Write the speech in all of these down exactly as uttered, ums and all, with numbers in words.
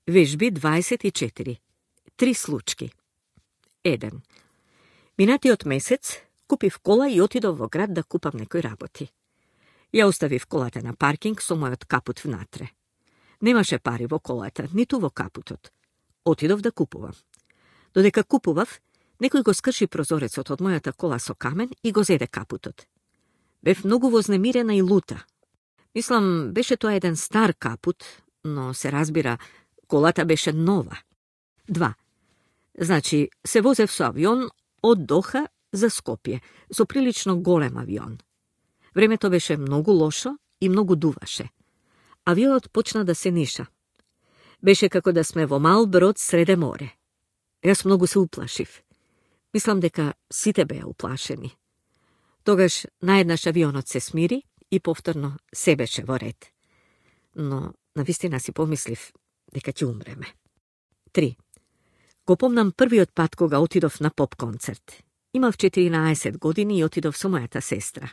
Вежби дваесет и четири. Три случки. еден. Минатиот месец купив кола и отидов во град да купам некои работи. Ја оставив колата на паркинг со мојот капут внатре. Немаше пари во колата, ниту во капутот. Отидов да купувам. Додека купував, некој го скрши прозорецот од мојата кола со камен и го зеде капутот. Бев многу вознемирена и лута. Мислам, беше тоа еден стар капут, но се разбира, колата беше нова. два. Значи, се возев со авион од Доха за Скопје, со прилично голем авион. Времето беше многу лошо и многу дуваше. Авионот почна да се ниша. Беше како да сме во мал брод среде море. Јас многу се уплашив. Мислам дека сите беа уплашени. Тогаш наеднаш авионот се смири и повторно се беше во ред. Но навистина си помислив дека ќе умреме. три. Го помнам првиот пат кога отидов на поп концерт. Имав четиринаесет години и отидов со мојата сестра.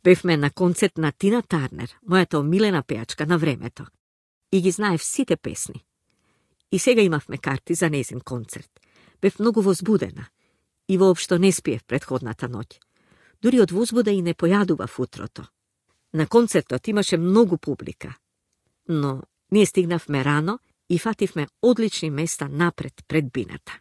Бевме на концерт на Тина Тарнер, мојата омилена пејачка на времето. И ги знаев сите песни. И сега имавме карти за незин концерт. Бев многу возбудена. И воопшто не спиев претходната ноќ. Дури од возбуда и не појадував утрото. На концертот имаше многу публика. Но ние стигнавме рано и фативме одлични места напред пред бината.